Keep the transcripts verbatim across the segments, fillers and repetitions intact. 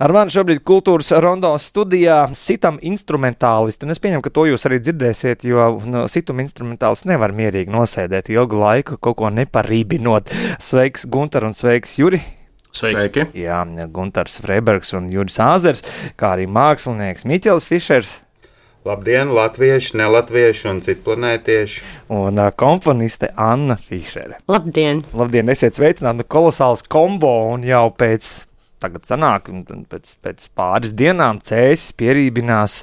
Ar mani šobrīd kultūras rondo studijā sitam instrumentālisti, un es pieņemu, ka to jūs arī dzirdēsiet, jo no, situm instrumentālists nevar mierīgi nosēdēt ilgu laiku, kaut ko neparībinot. Sveiks, Guntar, un sveiks, Juri! Sveiki! Jā, Guntars Freibergs un Juris Āzers, kā arī mākslinieks Miķels Fišers. Labdien, latvieši, nelatvieši un citplanētieši. Un uh, komponiste Anna Fišere. Labdien! Labdien, esiet sveicināti, kolosāls kombo, un jau pēc, tagad sanāk, pēc, pēc pāris dienām Cēsis pierībinās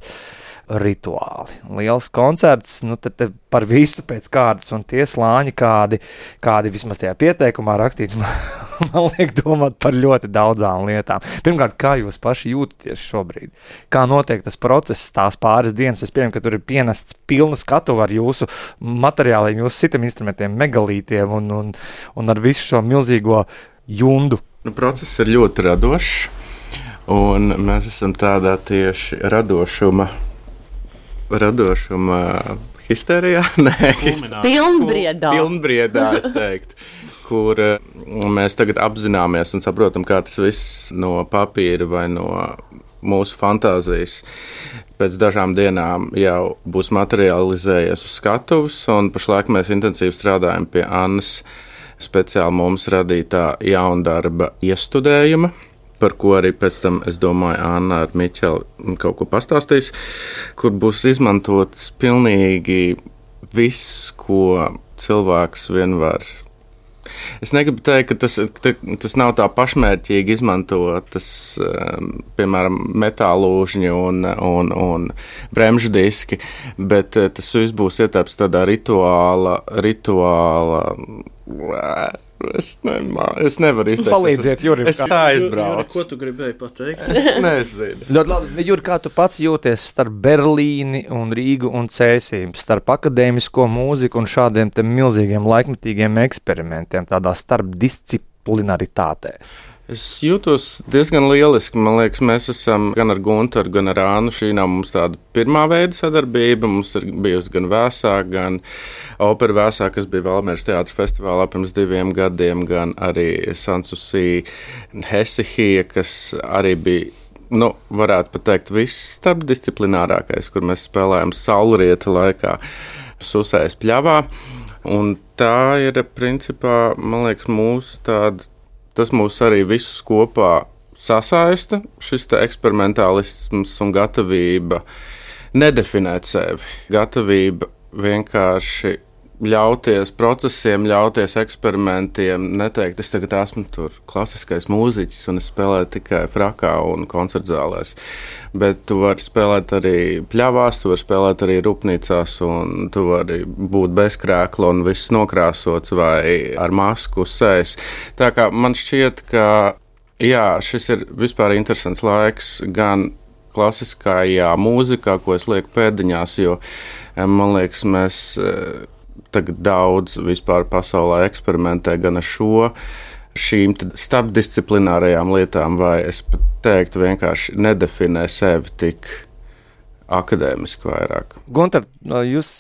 rituāli. Liels koncerts, nu tad te par visu pēc kārtas, un tie slāņi, kādi, kādi vismaz tajā pieteikumā rakstīti, man liek domāt par ļoti daudzām lietām. Pirmkārt, kā jūs paši jūtaties šobrīd? Kā notiek tas process, tās pāris dienas? Es pieņemu, ka tur ir pienests pilna skatuva ar jūsu materiāliem, jūsu sitam instrumentiem, megalītiem un, un, un ar visu šo milzīgo jundu. Nu, process ir ļoti radošs, un mēs esam tādā tieši radošuma, radošuma histērijā, nē, histērijā. Pilnbriedā. Pilnbriedā, es teiktu, kur mēs tagad apzināmies un saprotam, kā tas viss no papīra vai no mūsu fantāzijas pēc dažām dienām jau būs materializējies uz skatuves, un pašlaik mēs intensīvi strādājam pie Annas speciāli mums radītā jaundarba iestudējuma, par ko arī pēc tam, es domāju, Anna ar Miķeli kaut ko pastāstīs, kur būs izmantots pilnīgi viss, ko cilvēks vien var. Es negribu teikt, ka tas, ka tas nav tā pašmērķīgi izmantot, tas, piemēram, metālūžņi un, un, un bremžu diski, bet tas viss būs ietērps tādā rituāla, rituāla, Es, nemā, es nevaru izteikt. Palīdziet, Juri. Es aizbraucu. Ko tu gribēji pateikt? Nezinu. Ļoti labi. Juri, kā tu pats jūties starp Berlīni un Rīgu un Cēsīm, starp akadēmisko mūziku un šādiem te milzīgiem laikmetīgiem eksperimentiem, tādā starpdisciplinaritātē? Es jūtos diezgan lieliski. Man liekas, mēs esam gan ar Guntaru, gan ar Annu. Šī nav mums tāda pirmā veida sadarbība. Mums ir bijusi gan Vēsāk, gan opera Vēsāk, kas bija Valmieras teātra festivālā pirms diviem gadiem, gan arī Sanssouci Hesihija, kas arī bija, nu, varētu pat teikt, viss starpdisciplinārākais, kur mēs spēlējam saulrieta laikā Susējas pļavā. Un tā ir, principā, man liekas, mūsu tāda. Tas mūs arī visus kopā sasaista, šis te eksperimentālisms un gatavība nedefinēt sevi. Gatavība vienkārši ļauties procesiem, ļauties eksperimentiem, neteikt, es tagad esmu tur klasiskais mūziķis un es spēlēju tikai frakā un koncertzālēs. Bet tu vari spēlēt arī pļavās, tu vari spēlēt arī rūpnīcās un tu vari būt bez krēkla un viss nokrāsots vai ar masku uz sejas. Tā kā man šķiet, ka jā, šis ir vispār interesants laiks gan klasiskajā mūzikā, ko es lieku pēdiņās, jo man liekas, mēs tagad daudz vispār pasaulē eksperimentē gan ar šo, šīm starpdisciplinārajām lietām, vai es pat teiktu vienkārši nedefinē sevi tik akadēmiski vairāk. Guntar, jūs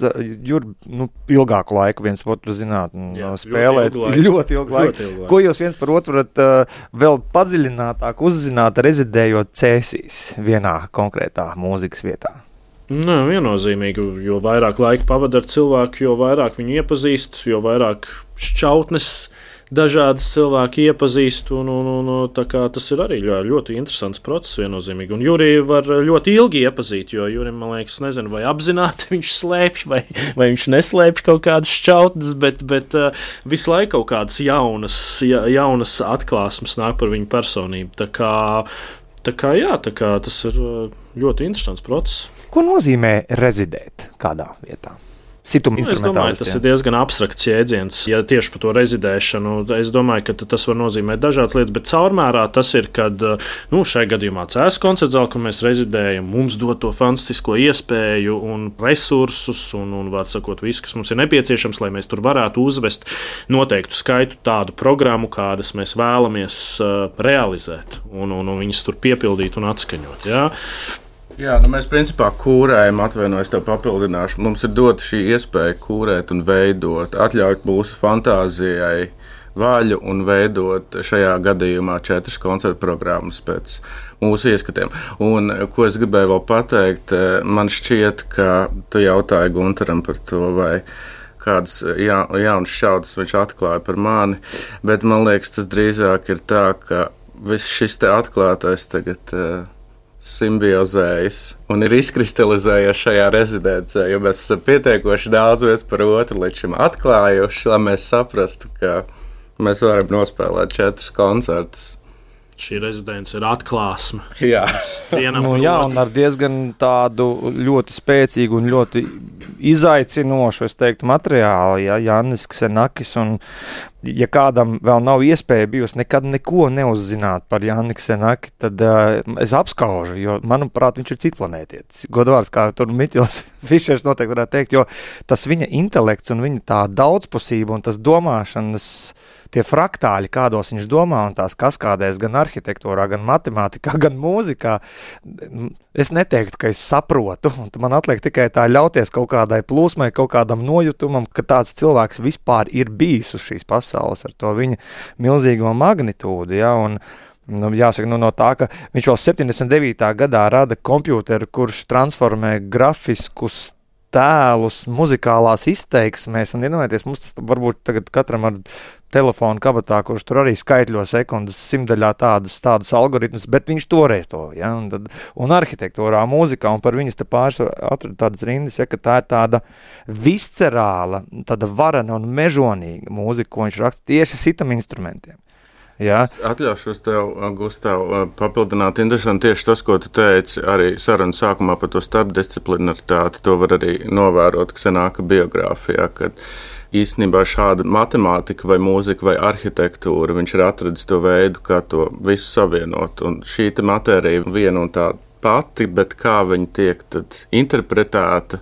Jur, nu, ilgāku laiku viens otru zināt un Jā, spēlēt ļoti ilgu, ļoti ilgu laiku. Ļoti ilgu laiku. Ko jūs viens par otru varat uh, vēl padziļinātāk uzzināt, rezidējot Cēsīs vienā konkrētā mūzikas vietā? Nē, viennozīmīgi, jo vairāk laika pavada ar cilvēku, jo vairāk viņu iepazīst, jo vairāk šķautnes dažādas cilvēki iepazīst, un, un, un tā kā tas ir arī ļoti, ļoti interesants process viennozīmīgi. Un Juri var ļoti ilgi iepazīt, jo Jurim, man liekas, nezinu, vai apzināti viņš slēpj, vai, vai viņš neslēpj kaut kādas šķautnes, bet, bet uh, visu laiku kaut kādas jaunas, ja, jaunas atklāsmes nāk par viņu personību. Tā kā, tā kā, jā, tā kā tas ir ļoti interesants process. Ko nozīmē rezidēt kādā vietā? Situma nu, es domāju, tas ir diezgan abstrakts jēdziens. Ja tieši par to rezidēšanu, es domāju, ka tas var nozīmēt dažādas lietas, bet caurmērā tas ir, kad nu, šai gadījumā Cēsis koncertzāle, kur mēs rezidējam, mums dod to fantastisko iespēju un resursus un, un var sakot, visu, kas mums ir nepieciešams, lai mēs tur varētu uzvest noteiktu skaitu tādu programmu, kādas mēs vēlamies uh, realizēt un, un, un viņas tur piepildīt un atskaņot. Jā. Jā, nu mēs principā kūrējam, atvainojos tev papildināšu. Mums ir dota šī iespēja kūrēt un veidot, atļaut mūsu fantāzijai vaļu un veidot šajā gadījumā četras koncertu programmas pēc mūsu ieskatiem. Un, ko es gribēju vēl pateikt, man šķiet, ka tu jautāji Guntaram par to, vai kādas ja, jaunas šķaudas viņš atklāja par mani, bet man liekas, tas drīzāk ir tā, ka viss šis te atklātais tagad uh, simbiozējas un ir izkristalizējies šajā rezidencē, jo mēs esam pietiekoši daudz viens par otru līdz šim atklājuši, lai mēs saprastu, ka mēs varam nospēlēt četrus koncertus. Šī rezidence ir atklāsme. Jā, nu, jā un ar diezgan tādu ļoti spēcīgu un ļoti izaicinošu, es teiktu, materiālu, ja, Jannis Ksenakis, un ja kādam vēl nav iespēja bijusi nekad neko neuzzināt par Janni Ksenaki, tad uh, es apskaužu, jo, manuprāt, viņš ir citplanētietis. Godvārds, kā tur Mitils Fišers noteikti varētu teikt, jo tas viņa intelekts un viņa tā daudzpusība un tas domāšanas tie fraktāļi, kādos viņš domā, un tās kaskādēs gan arhitektūrā, gan matemātikā, gan mūzikā, es neteiktu, ka es saprotu, un man atliek tikai tā ļauties kaut kādai plūsmai, kaut kādam nojutumam, ka tāds cilvēks vispār ir bijis uz šīs pasaules ar to viņa milzīgo magnitūdu, ja, un nu, jāsaka, nu, no tā, ka viņš vēl septiņdesmit devītā gadā rada kompjūteru, kurš transformē grafiskus tēlus muzikālās izteiksmēs, un iedomājieties, mums tas varbūt tagad katram ar telefonu kabatā, kurš tur arī skaitļo sekundes simtdaļā tādas, tādus algoritmus, bet viņš toreiz to, ja, un, tad, un arhitektūrā, mūzikā, un par viņas te pāris atrada tādas rindas, ja, ka tā ir tāda viscerāla, tāda varena un mežonīga mūzika, ko viņš raksta tieši sitam instrumentiem. Jā. Atļaušos tev, Gustav, papildināt. Interesanti tieši tas, ko tu teici arī sarunas sākumā par to starpdisciplinaritāti. To var arī novērot Ksenaka biogrāfijā, kad īstenībā šāda matemātika vai mūzika vai arhitektūra, viņš ir atradis to veidu, kā to visu savienot. Un šī te matērija viena un tā pati, bet kā viņa tiek tad interpretēta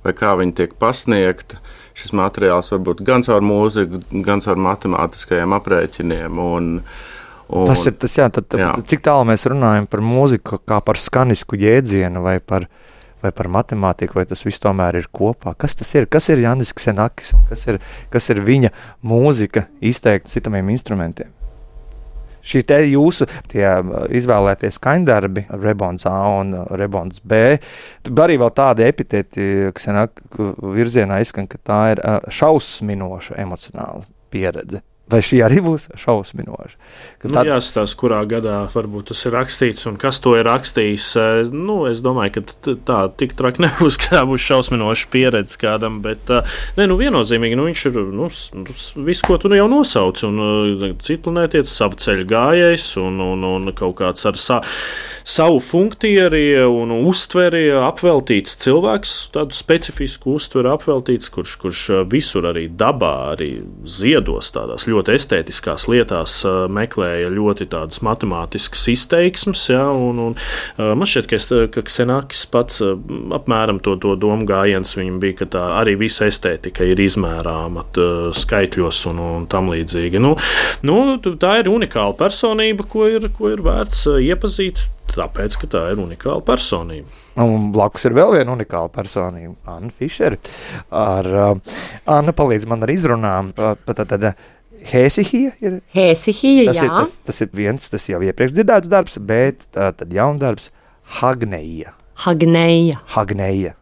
vai kā viņa tiek pasniegta. Šis materiāls var būt gan caur mūziku, gan caur matemātiskajiem aprēķiniem. Un, un, tas ir tas, jā, tad, jā. Cik tālu mēs runājam par mūziku kā par skanisku jēdzienu vai par, vai par matemātiku, vai tas viss tomēr ir kopā. Kas tas ir? Kas ir Jannis Ksenakis un kas ir, kas ir viņa mūzika izteikta citamiem instrumentiem? Šī te jūsu tie izvēlētie skaņdarbi, Rebons A un Rebons B, arī vēl tādi epiteti, kas virzienā izskan, ka tā ir šausminoša emocionāla pieredze. Vai šī arī būs šausminoša? Nu, tad... Jāstāsta, kurā gadā varbūt tas ir rakstīts un kas to ir rakstījis. Nu, es domāju, ka tā tik traki nebūs, kā būs šausminoša pieredze kādam, bet ne, nu, viennozīmīgi nu, viņš ir nu, viss, ko tu jau nosauc, un citplanētietis, savu ceļu gājējs un, un, un kaut kāds ar sa, savu funktieri un uztveri apveltīts cilvēks, tādu specifisku uztveri apveltīts, kurš, kurš visur arī dabā, arī ziedos tādās ļoti ļoti estētiskās lietās uh, meklēja ļoti tādas matemātiskas izteiksmes, ja, un, un uh, man šķiet, ka, es, ka Ksenakis pats uh, apmēram to, to domu gājiens viņam bija, ka tā arī visa estētika ir izmērāma uh, skaitļos un, un tam līdzīgi. Nu, nu, tā ir unikāla personība, ko ir, ko ir vērts uh, iepazīt, tāpēc, ka tā ir unikāla personība. Un blakus ir vēl viena unikāla personība, Anna Fišeri. Ar, uh, Anna palīdz man ar izrunām, uh, tad, tad, Hēsihija ir? Hēsihija, tas jā. Ir, tas, tas ir viens, tas jau iepriekš dzirdēts darbs, bet tā, tad jaundarbs Hagneja. Hagneja. Hagneja.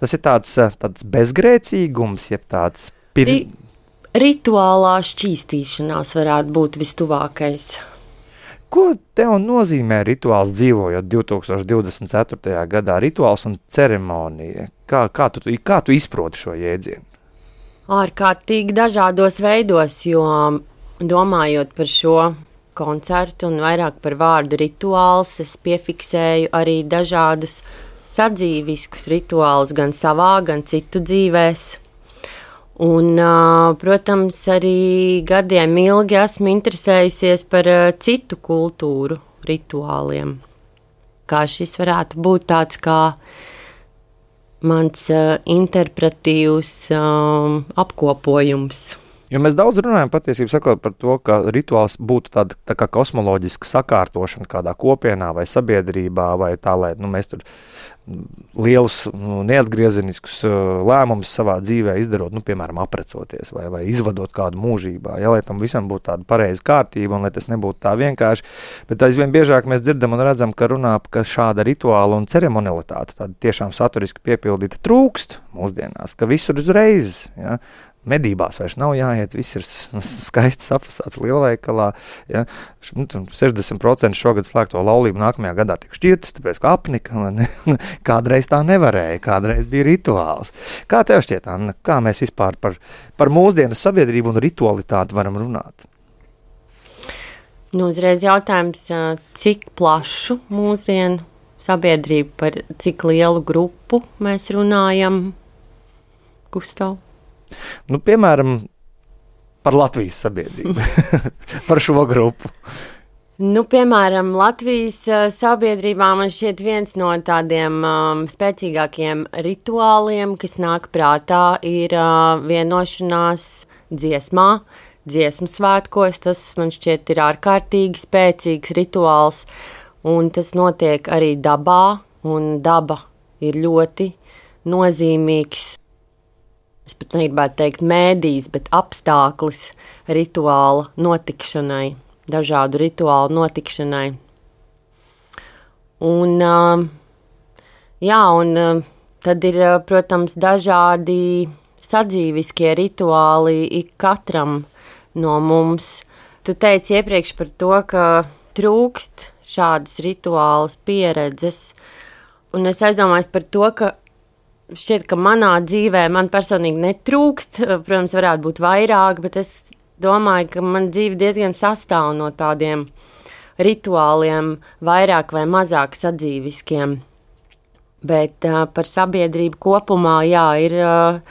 Tas ir tāds, tāds bezgrēcīgums, jeb tāds... Pir... Ri, rituālā šķīstīšanās varētu būt vistuvākais. Ko tev nozīmē rituāls dzīvojot divtūkstoš divdesmit ceturtajā gadā? Rituāls un ceremonija. Kā, kā, tu, kā tu izproti šo jēdzienu? Ārkārtīgi dažādos veidos, jo domājot par šo koncertu un vairāk par vārdu rituāls, es piefiksēju arī dažādus sadzīviskus rituālus gan savā, gan citu dzīvēs. Un, protams, arī gadiem ilgi esmu interesējusies par citu kultūru rituāliem. Kā šis varētu būt tāds kā mans uh, interpretīvs um, apkopojums. Jo mēs daudz runājam patiesībā sakot par to, ka rituāls būtu tāda tā kā kosmoloģiska sakārtošana kādā kopienā vai sabiedrībā, vai tā, lai nu, mēs tur lielus nu, neatgriezeniskus lēmumus savā dzīvē izdarot, nu, piemēram, aprecoties vai, vai izvadot kādu mūžībā, ja, lai tam visam būtu tāda pareiza kārtība un lai tas nebūtu tā vienkārši. Bet aizvien biežāk mēs dzirdam un redzam, ka runā, ka šāda rituāla un ceremonialitāte, tāda tiešām saturiski piepildīta trūkst mūsdienās, ka visur uzreiz, ja, medībās vairs nav jāiet, viss ir skaisti sapasāts lielveikalā. Ja? sešdesmit procenti šogad slēgto laulību nākamajā gadā tiek šķirtas, tāpēc kā apnika. Ne? Kādreiz tā nevarēja, kādreiz bija rituāls. Kā tev šķiet, Anna, kā mēs vispār par, par mūsdienas sabiedrību un ritualitāti varam runāt? Nu, uzreiz jautājums, cik plašu mūsdienu sabiedrību, par cik lielu grupu mēs runājam, Gustav? Nu, piemēram, par Latvijas sabiedrību, par šo grupu. Nu, piemēram, Latvijas uh, sabiedrībā man šķiet viens no tādiem um, spēcīgākiem rituāliem, kas nāk prātā, ir uh, vienošanās dziesmā, dziesmu svētkos. Tas man šķiet ir ārkārtīgi spēcīgs rituāls, un tas notiek arī dabā, un daba ir ļoti nozīmīgs. Es pat negribētu teikt mēdījis, bet apstāklis rituāla notikšanai, dažādu rituālu notikšanai. Un, jā, un tad ir, protams, dažādi sadzīviskie rituāli ik katram no mums. Tu teici iepriekš par to, ka trūkst šādas rituālas pieredzes, un es aizdomājos par to, ka šķiet, ka manā dzīvē man personīgi netrūkst, protams, varētu būt vairāk, bet es domāju, ka man dzīve diezgan sastāv no tādiem rituāliem, vairāk vai mazāk sadzīviskiem. Bet uh, par sabiedrību kopumā, jā, ir uh,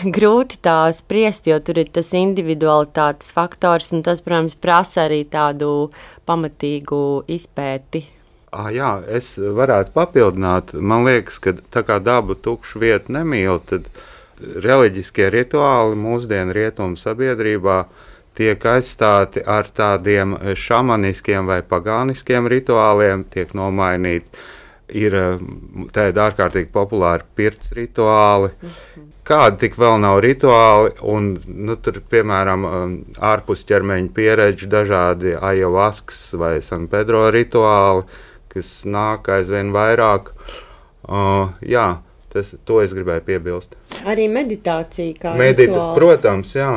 grūti tā spriest, jo tur ir tas individualitātes faktors, un tas, protams, prasa arī tādu pamatīgu izpēti. Ah, jā, es varētu papildināt. Man liekas, ka tā kā dabu tukšu vietu nemīl, tad reliģiskie rituāli mūsdienu rietumu sabiedrībā tiek aizstāti ar tādiem šamaniskiem vai pagāniskiem rituāliem, tiek nomainīti. Ir tādi ārkārtīgi populāri pirts rituāli. Mm-hmm. Kādi tik vēl nav rituāli, un nu, tur, piemēram, ārpus ķermeņa pieredžu dažādi ajavaskas vai San Pedro rituāli, kas nāk aizvien vairāk. Uh, jā, tas, to es gribēju piebilst. Arī meditācija kā Medita, rituāls. Protams, jā.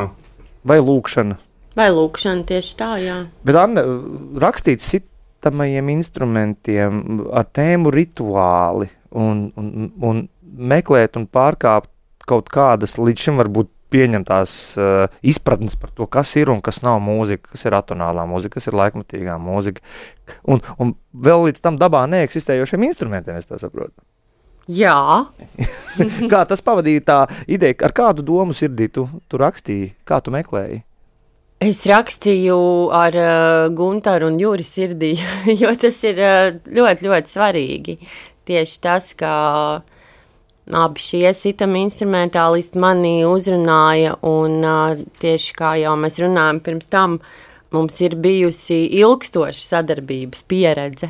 Vai lūkšana. Vai lūkšana, tieši tā, jā. Bet, Anna, rakstīt sitamajiem instrumentiem ar tēmu rituāli un, un, un meklēt un pārkāpt kaut kādas līdz šim varbūt pieņemtās uh, izpratnes par to, kas ir un kas nav mūzika, kas ir atonālā mūzika, kas ir laikmatīgā mūzika. Un, un vēl līdz tam dabā neeksistējošiem instrumentiem, es tā saprotu. Jā. Kā tas pavadīja tā ideja, ar kādu domu sirdī tu, tu rakstīji, kā tu meklēji? Es rakstīju ar uh, Guntaru un Juri sirdī, jo tas ir uh, ļoti, ļoti svarīgi. Tieši tas, ka abi šie sitami instrumentālisti mani uzrunāja, un uh, tieši kā jau mēs runājam pirms tam, mums ir bijusi ilgstoša sadarbības pieredze,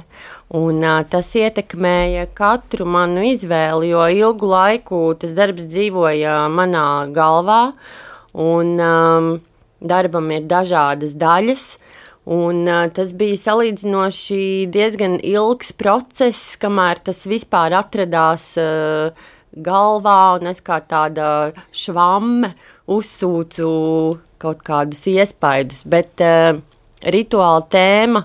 un uh, tas ietekmēja katru manu izvēli, jo ilgu laiku tas darbs dzīvoja manā galvā, un um, darbam ir dažādas daļas, un uh, tas bija salīdzinoši diezgan ilgs process, kamēr tas vispār atradās uh, galvā, un es kā tāda švamme uzsūcu kaut kādus iespaidus, bet uh, rituāla tēma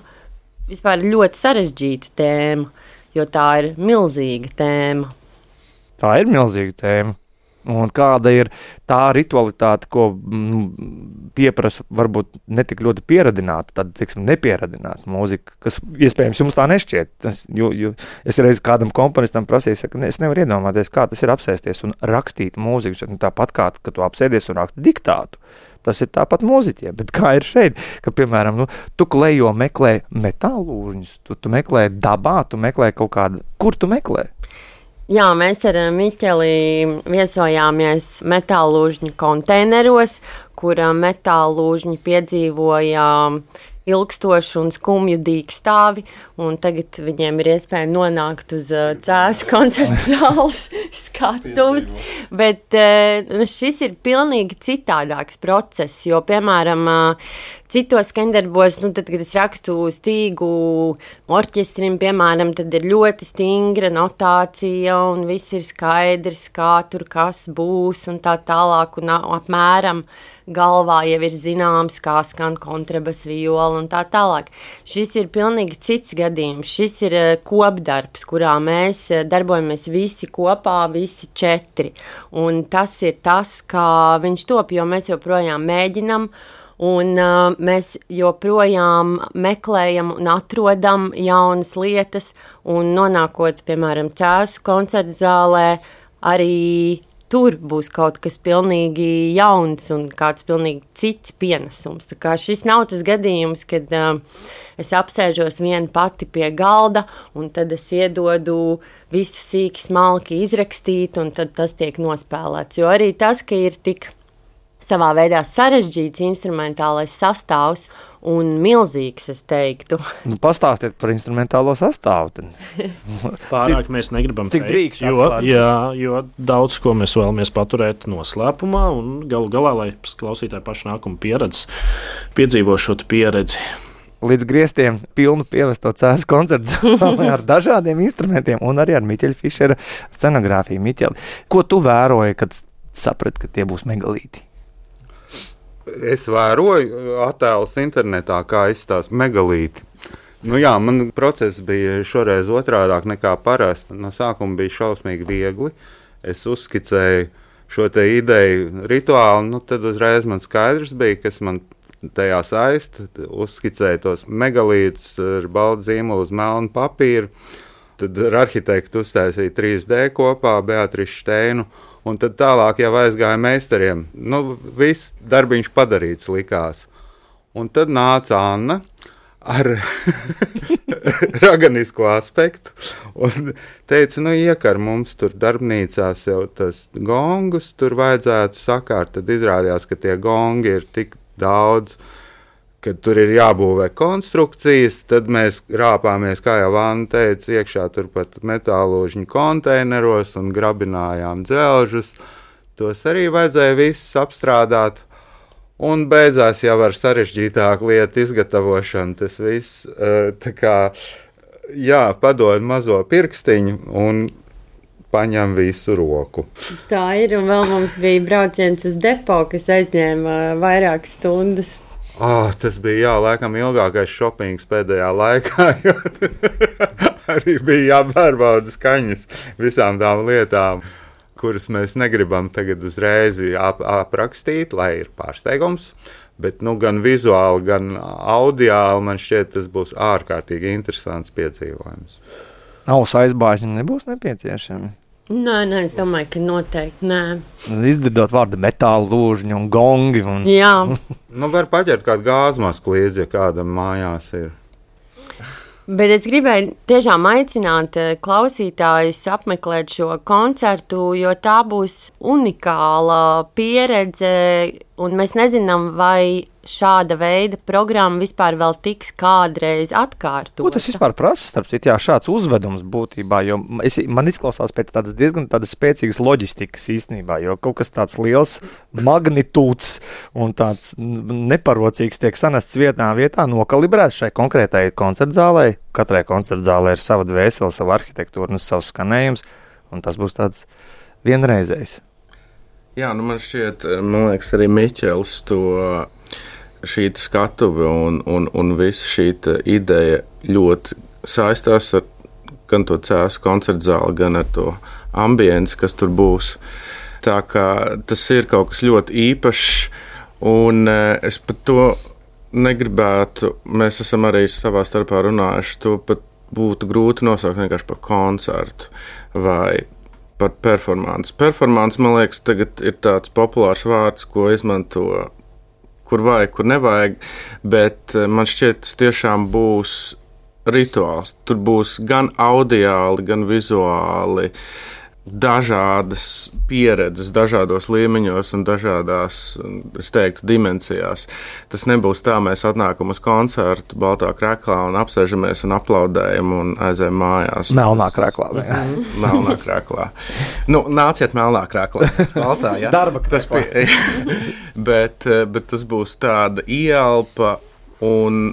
vispār ir ļoti sarežģīta tēma, jo tā ir milzīga tēma. Tā ir milzīga tēma. Un kāda ir tā ritualitāte, ko mm, pieprasa varbūt netik ļoti pieradināta, tad, teiksim, nepieradināta mūzika, kas iespējams jums tā nešķiet. Tas, jo, jo es reiz kādam komponistam prasīju, ka ne, es nevaru iedomāties, kā tas ir apsēsties un rakstīt mūziku. Tāpat kā, ka tu apsēdies un raksti diktātu. Tas ir tāpat mūziķiem, bet kā ir šeit, ka, piemēram, nu, tu klejo meklē metālūžņus, tu, tu meklē dabā, tu meklē kaut kādu, kur tu meklē? Jā, mēs ar Miķeli viesojāmies metālūžņu konteineros, kur metāla lūžņi piedzīvoja ilgstošu un skumju dīkstāvi, un tagad viņiem ir iespēja nonākt uz uh, Cēsu koncerta zāles skatuves, bet uh, šis ir pilnīgi citādāks process, jo, piemēram, uh, citos skandarbos, nu, tad, kad es rakstu stīgu orķestrim, piemēram, tad ir ļoti stingra notācija, un viss ir skaidrs, kā tur kas būs, un tā tālāk, un apmēram galvā jau ir zināms, kā skan kontrabas, viola un tā tālāk. Šis ir pilnīgi cits gadījums. Šis ir kopdarbs, kurā mēs darbojamies visi kopā, visi četri. Un tas ir tas, kā viņš top, jo mēs joprojām mēģinam, un uh, mēs joprojām meklējam un atrodam jaunas lietas, un nonākot, piemēram, Cēsu koncerta zālē, arī tur būs kaut kas pilnīgi jauns un kāds pilnīgi cits pienesums. Tā kā šis nav tas gadījums, kad uh, es apsēžos viena pati pie galda un tad es iedodu visu sīki smalki izrakstīt un tad tas tiek nospēlēts. Jo arī tas, ka ir tik savā veidā sarežģīts instrumentālais sastāvs un milzīgs, es teiktu. Nu, pastāstiet par instrumentālo sastāvu. Pārāk mēs negribam cik drīkst jo, atklāt? jā, jo daudz ko mēs vēlamies paturēt noslēpumā un galu galā, lai klausītāji paši nākumu pieredzi, piedzīvo šo pieredzi. Līdz griestiem pilnu pievesto Cēsu koncertu zālē ar dažādiem instrumentiem un arī ar Miķeļa Fišera scenogrāfiju. Miķeli, ko tu vēroji, kad saprati, ka tie būs megalīti? Es vēroju attēlus internetā, kā izstāsta megalīti. Nu jā, man process bija šoreiz otrādāk nekā parasti. No sākuma bija šausmīgi viegli. Es uzskicēju šo te ideju rituāli, nu tad uzreiz man skaidrs bija, kas man tajā saista. Uzskicēju tos megalītus ar baltu zīmolu uz melnu papīru. Tad ar arhitektu uztaisīja trīs D kopā, Beatrišu Šteinu. Un tad tālāk jau aizgāja meistariem. Nu, viss darbiņš padarīts likās. Un tad nāca Anna ar raganisko aspektu un teica, nu, iekar mums tur darbnīcās jau tas gongus, tur vajadzētu sakārt. Tad izrādījās, ka tie gongi ir tik daudz, kad tur ir jābūvē konstrukcijas, tad mēs rāpāmies, kā jau Anna teica, iekšā turpat metāložņu konteineros un grabinājām dzelžus. Tos arī vajadzēja visus apstrādāt, un beidzās jau ar sarežģītāku lietu izgatavošanu. Tas viss, tā kā, jā, padod mazo pirkstiņu un paņem visu roku. Tā ir, un vēl mums bija brauciens uz depo, kas aizņēma vairākas stundas. Oh, tas bija, jā, laikam ilgākais šopings pēdējā laikā, jo arī bija jāpārbauda skaņas visām tām lietām, kuras mēs negribam tagad uzreiz ap, aprakstīt, lai ir pārsteigums, bet nu, gan vizuāli, gan audiāli man šķiet, tas būs ārkārtīgi interesants piedzīvojums. Ausu aizbāžņi nebūs nepieciešami? Nē, nē, es domāju, ka noteikti nē. Izdzirdot vārdu metāla lūžņi un gongi. Un... Jā. Nu, var paģert kādu gāzmasku līdzi, ja kādam mājās ir. Bet es gribēju tiešām aicināt klausītājus apmeklēt šo koncertu, jo tā būs unikāla pieredze, un mēs nezinām, vai šāda veida programma vispār vēl tiks kādreiz atkārtota. Ko tas vispār prasa? Starp citu, jā, šāds uzvedums būtībā, jo es, man izklausās pēc tādas diezgan tādas spēcīgas loģistikas īstenībā, jo kaut kas tāds liels magnitūds un tāds neparocīgs tiek sanests vietnā vietā, nokalibrēts šai konkrētai koncertzālē. Katrai koncertzālē ir sava dvēsele, sava arhitektūra un savs skanējums, un tas būs tāds vienreizējs. Jā, nu man šķiet, man liekas, arī Miķelis to šī skatuve un, un, un visa šī ideja ļoti saistās ar gan to Cēsu koncertu zāli, gan ar to ambienci, kas tur būs. Tā kā tas ir kaut kas ļoti īpašs, un es pat to negribētu, mēs esam arī savā starpā runājuši, to pat būtu grūti nosaukt vienkārši par koncertu vai par performanci. Performance, man liekas, tagad ir tāds populārs vārds, ko izmanto kur vajag, kur nevajag, bet man šķiet, tas tiešām būs rituāls. Tur būs gan audiāli, gan vizuāli dažādas pieredzes, dažādos līmeņos un dažādās, es teiktu, dimensijās. Tas nebūs tā, mēs atnākam uz koncertu baltā kreklā un apsēžamies un aplaudējam un aizējam mājās. Melnā kreklā. Melnā kreklā. Nu, nāciet melnā kreklā. Baltā, ja? Darba kreklā. bet, bet tas būs tāda ieelpa un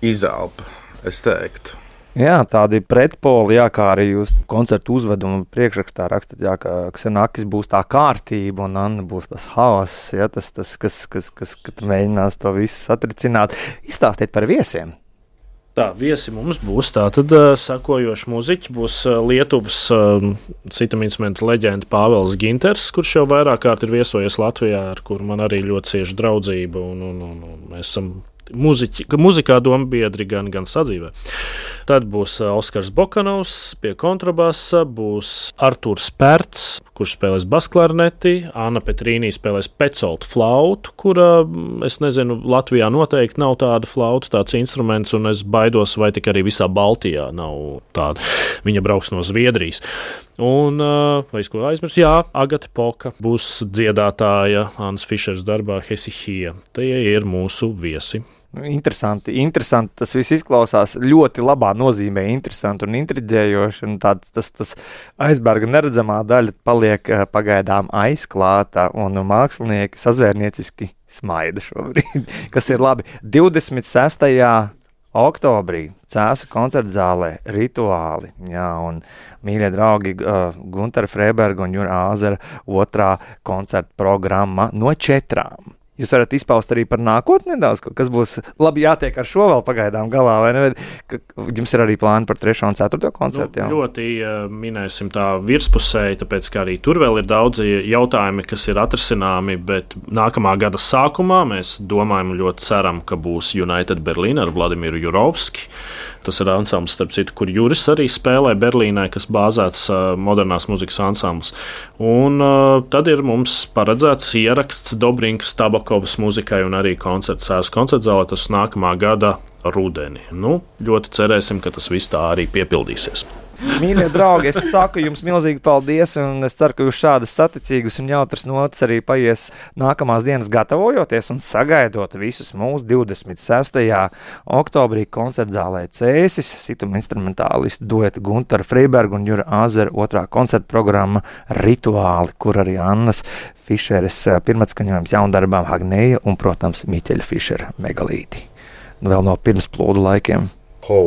izelpa, es teiktu. Jā, tādi pretpoli, jā, kā arī jūs koncertu uzvedumu priekšrakstā rakstat, jā, ka Ksenakis būs tā kārtība un Anna būs tas haoss, jā, tas, tas kas, kas, kas, kas mēģinās to visu satricināt. Izstāstiet par viesiem. Tā, viesi mums būs tātad uh, sakojoši muziķi, būs uh, Lietuvas uh, citam instrumentu leģenda Pāvels Ginters, kurš jau vairāk kārt ir viesojies Latvijā, ar kuru man arī ļoti cieša draudzība, un, un, un, un mēs esam Muziķi, muzikā doma biedri gan, gan sadzīvē. Tad būs Oskars Bokanovs pie kontrabasa, būs Artūrs Pērts, kurš spēlēs basklarneti, Anna Petrīnī spēlēs pecoltu flautu, kura, es nezinu, Latvijā noteikti nav tāda flauta, tāds instruments, un es baidos, vai tik arī visā Baltijā nav tāda. Viņa brauks no Zviedrijas. Un, vai es ko aizmirstu? Jā, Agata Poka būs dziedātāja Annas Fišers darbā Hesihija. Tie ir mūsu viesi. Interesanti, interesanti. Tas viss izklausās ļoti labā nozīmē, interesanti un intriģējoši. Un tāds, tas, tas aizberga neredzamā daļa paliek pagaidām aizklāta, un mākslinieki sazvērnieciski smaida šobrīd, kas ir labi. divdesmit sestajā oktobrī Cēsu koncertzālē Rituāli, jā, un mīļie draugi uh, Guntara Freiberga un Jura Āzera otrā koncerta programma no četrām. Jūs varat izpaust arī par nākotni nedaudz, kas būs labi jātiek ar šo vēl pagaidām galā, vai ne? Jums ir arī plāni par trešo un ceturto koncertu, jā? Nu, ļoti uh, minēsim tā virspusēji, tāpēc, ka arī tur vēl ir daudzi jautājumi, kas ir atrisināmi, bet nākamā gada sākumā mēs domājam, ļoti ceram, ka būs United Berlīna ar Vladimiru Jurovski. Tas ir ansambls, starp citu, kur Juris arī spēlē Berlīnē, kas bāzēts uh, modernās muzikas ansambls. Un uh, tad ir mums paredzēts ieraksts Dobrinkas Tabakovas muzikai un arī koncerts Cēsu koncertzālē, tas nākamā gada rudeni. Nu, ļoti cerēsim, ka tas viss tā arī piepildīsies. Mīļie draugi, es saku jums milzīgi paldies, un es ceru, ka jūs šādas saticīgas un jautras notas arī paies nākamās dienas gatavojoties un sagaidot visus mūsu divdesmit sestajā oktobrī koncertzālē Cēsis, situma instrumentālistu dueta Guntara Freiberga un Jura Āzera otrā koncerta programma Rituāli, kur arī Annas Fišeres pirmatskaņojums jaundarbām Hagneja un, protams, Miķeļa Fišera Megalīti. Vēl no pirms plūdu laikiem. Ho!